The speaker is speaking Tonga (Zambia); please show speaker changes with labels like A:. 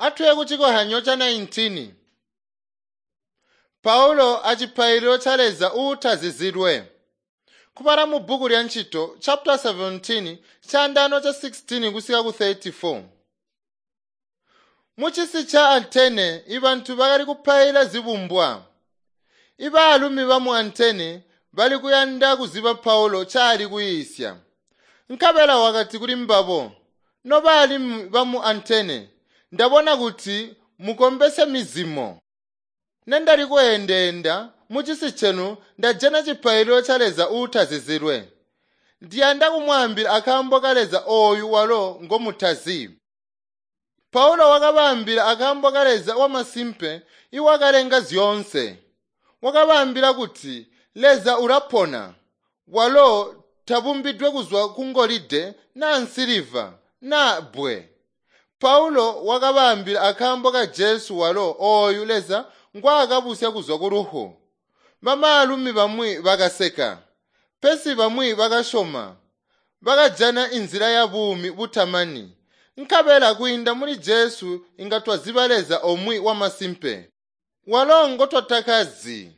A: Atuye kucikohyanyo ca 19. Paulo acipaililo ca Leza uutazizilwe. Kubala mu bbuku lya Ncito chapter 17 caandaano ca 16 kusika ku 34. Mucisi ca Atene ibantu bakali kupaila zibumbwa. Ibaalumi bamu Atene bali kuyanda kuziba Paulo caali kuyiisya. Nkabela wakati kuli mbabo, "Nobaalumi bamu Atene, ndabona kuti mukombesya mizimo. Nendali kweendeenda mucisi cenu ndajana cipaililo ca Leza uutazizilwe. Ndiyanda kumwaambila akaambo ka Leza ooyu walo ngomutazi." Paulo wakabaambila akaambo ka Leza wamasimpe iwakalenga zyoonse. Wakabaambila kuti Leza ulapona, walo tabumbidwe kuzwa ku ngolide naa nsiliva naa bbwe. Paulo wakabaambila akaambo ka Jesu walo ooyu Leza ngwaakabusya kuzwa ku lufu. Bamaalumi bamwi bakaseka, pesi bamwi bakasyoma, bakajana inzila ya buumi butamani. Nkabela kwiinda muli Jesu inga twaziba Leza omwe wamasimpe, walo ngotwatakazi.